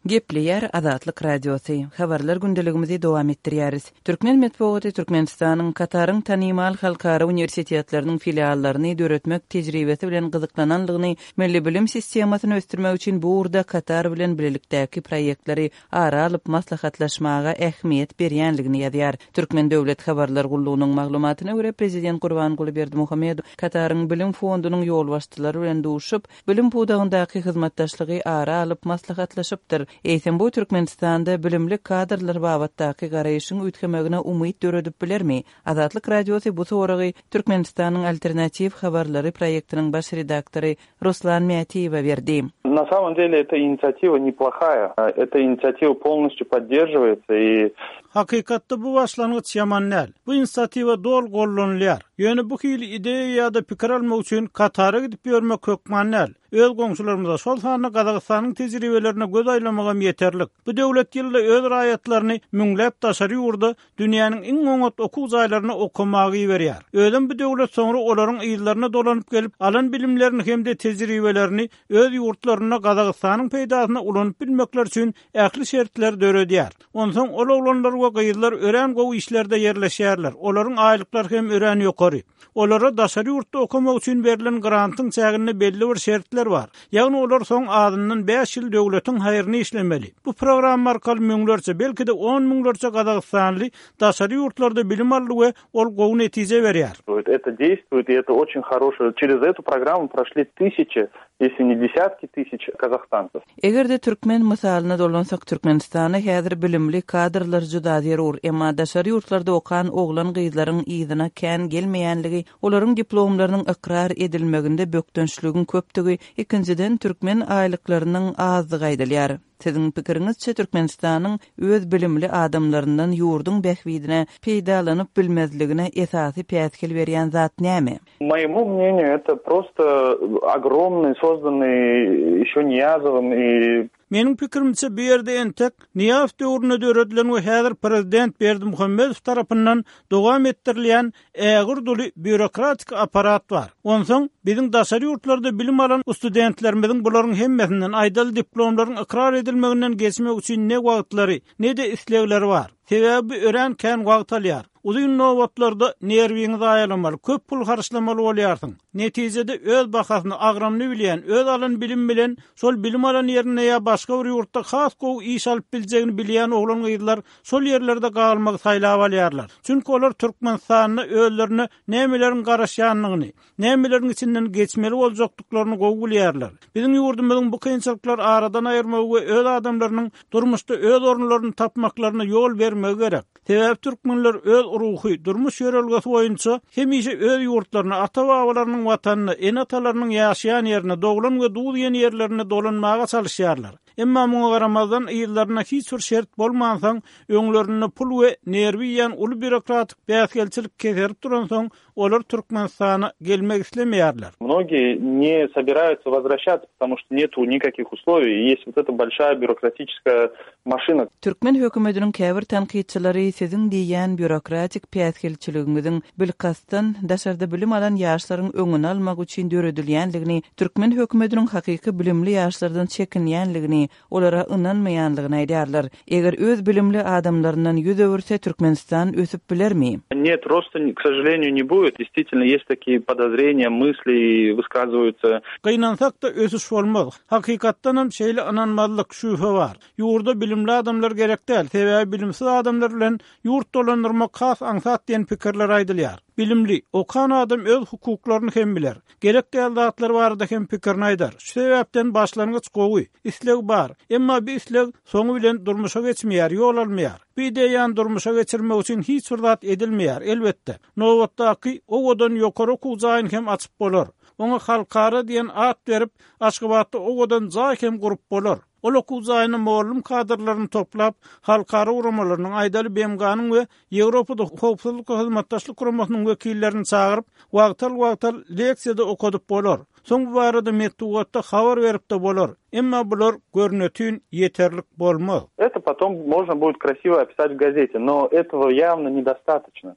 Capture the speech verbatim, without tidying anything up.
Gepleýär Azatlyk Radiosy. Habarlar gündeligimizi dowam etdirýäris. Türkmen metbugaty Türkmenistanyň Kataryň tanymal halkara uniwersitetleriniň filiallaryny döretmek tejribesi bilen gyzyklanandygyny, milli bilim sistemasyny ösdürmek üçin bu ugurda Katar bilen birlikdäki proýektleri ara alyp maslahatlaşmaga ähmiýet berýänligini ýazýar. Türkmen döwlet habarlar gullugynyň maglumatyna görä prezident Gurbanguly Berdimuhamedow Kataryň bilim fondunyň ýolbaşçylary bilen duşup, bilim pudagyndaky hyzmatdaşlygy ara alyp maslahatlaşypdyr. Eýsem bu Türkmenistanda bilimli kadrlar babatdaky garaýşyň üýtgemegine umyt döredip bilermi? Azatlyk Radiosy bu soragy Türkmenistanyň alternatiw habarlary proýektiniň baş redaktory Ruslan Mätiýewe berdi. На самом деле эта инициатива неплохая. Эта инициатива полностью поддерживается и Hakykatda bu başlangyç ýaman däl. Bu inisiatiwa doly gollanylýar. Ýöne bu hili ideýa ýa-da pikir almak üçin Katara gidip ýörmek hökman däl. Öz goňşularymyza şol sanda Gazagystanyň tejribelerine göz aýlamagam ýeterlik. Bu döwlet ýylda öz raýatlaryny müňläp daşary ýurda dünýäniň iň oňat okuw jaýlaryna okamaga iberýär. Özem bu döwlet soňra olaryň yzlaryna dolanyp gelip, alan bilimlerini hem-de tejribelerini öz ýurtlarynda Gazagystanyň peýdasyna ulanyp bilmekler üçin ähli şertler döredýär. Onsoň ol oglanlar we gyzlar örän gowy işlerde ýerleşýärler. Olaryň aýlyklary hem örän ýokary. Olara daşary ýurtda okamak üçin berlen grantyň çäginde belli bir şertler bar. Ýagny olar soň azyndan bäş ýyl döwletiň haýryny işlemeli. Bu programma arkaly müňlerçe, belki-de on müňlerçe Gazagystanly daşary ýurtlarda bilim aldy we ol gowy netije berýär. Это действует, и это очень хорошо. Через эту программу прошли тысячи, если не десятки тысяч казахстанцев. Eger-de türkmen mysalyna dolansak Türkmenistana häzir bilimli kadrlar juda zerur, emma daşary ýurtlarda okan oglan gyzlaryň yzyna kän gelmeýänligi, olaryň diplomlarynyň ykrar edilmeginde bökdençligiň köpdügi, ikinjiden türkmen aýlyklarynyň azdygy aýdylýar. Siziň pikiriňizçe Türkmenistanyň öz bilimli adamlaryndan ýurduň bähbidine peýdalanyp bilmezligine esasy päsgel berýän zat näme? Моему мнению, это просто огромный, созданный еще Ниязовым и Meniň pikirimçe bu ýerde entek Niýazow döwründe döredilen we häzir prezident Berdimuhamedow tarapyndan dowam etdirilýän ägirt uly býurokratik apparat bar. Onsoň biziň daşary ýurtlarda bilim alan studentlerimiziň bularyň hemmesinden aýdaly diplomlaryň ykrar edilmeginden geçmek üçin ne wagtlary, ne-de islegleri bar. Sebäbi bu örän kän wagt alýar. Uzyn nobatlarda nerwiňi zaýalamaly, köp pul harçlamaly bolýarsyň. Netijede öz bahasyny agramly bilýän, öz alan bilim bilen şol bilim alan ýerinde ýa başga bir ýurtda has gowy iş alyp biljegini bilýän oglan gyzlar şol ýerlerde galmagy saýlap alýarlar. Çünki olar Türkmenistanda özlerine nämeleriň garaşýanlygyny, nämeleriň içinden geçmeli boljakdyklaryny gowy bilýärler. Biziň ýurdumyzyň bu kynçylyklary aradan aýyrmagy we öz adamlarynyň durmuşda öz orunlaryny tapmaklaryna ýol bermegi gerek. Sebäbi türkmenler öz ruhy, durmuş ýörelgesi boýunça hemişe öz ýurtlaryna, ata-babalarynyň watanyna, ene-atalarynyň ýaşaýan ýerine, doglan we duz ýen ýerlerine dolanmaga çalyşýarlar. Emma muňa garamazdan yzlaryna hiç bir şert bolmansoň, öňlerinde pul we nerwi ýan uly býurokratik päsgelçilik keserip duransoň, olar Türkmenistana gelmek islemeýärler. Многие не собираются возвращаться, потому что нету никаких условий, и есть вот эта большая бюрократическая машина. Türkmen hökümetiniň käbir tankytçylary siziň diýýän býurokratik päsgelçiligiňiziň bilkastdan daşarda bilim alan ýaşlaryň öňüni almak üçin döredilýänligini, türkmen hökümetiniň hakyky bilimli ýaşlardan çekinýänligini, olara ynanmaýanlygyny aýdýarlar. Eger öz bilimli adamlaryndan ýüz öwürse Türkmenistan ösüp bilermi? Нет, роста, к сожалению, не будет. Действительно, есть такие подозрения, мысли высказываются. Gynansak-da ösüş bolmaz. Hakykatdan hem şeýle ynanmazlyk şübhe bar. Ýurda bilimli adamlar gerek däl, sebäbi bilimsiz adamlar bilen ýurt dolandyrmak has aňsat diýen pikirler aýdylýar. Bilimli, okan adam öz hukuklaryny hem biler. Gerek däl zatlar barada hem pikirini aýdar. Şu sebäpden başlangyç gowy, isleg bar. Emma bir isleg soňy bilen durmuşa geçmeýär, ýol almaýar. Bu ideýany durmuşa geçirmek üçin hiç bir zat edilmeýär, elbetde. Nobatdaky owadan ýokary okuw jaýyny hem açyp bolar. Oňa halkara diýen at berip, Aşgabatda owadan jaý hem gurup bolar. Ol okuw jaýyny mugallym kadrlaryny toplap, halkara guramalarynyň, aýdaly B M G-nyň we Ýewropada howpsuzlyk we hyzmatdaşlyk guramasynyň wekillerini çagyryp, wagtal-wagtal leksiýada okadyp bolar. Soň bu barada metbugatda habar berip-de bolar. Emma bular görnetün ýeterlik bolmaz. Это потом можно будет красиво описать в газете, но этого явно недостаточно.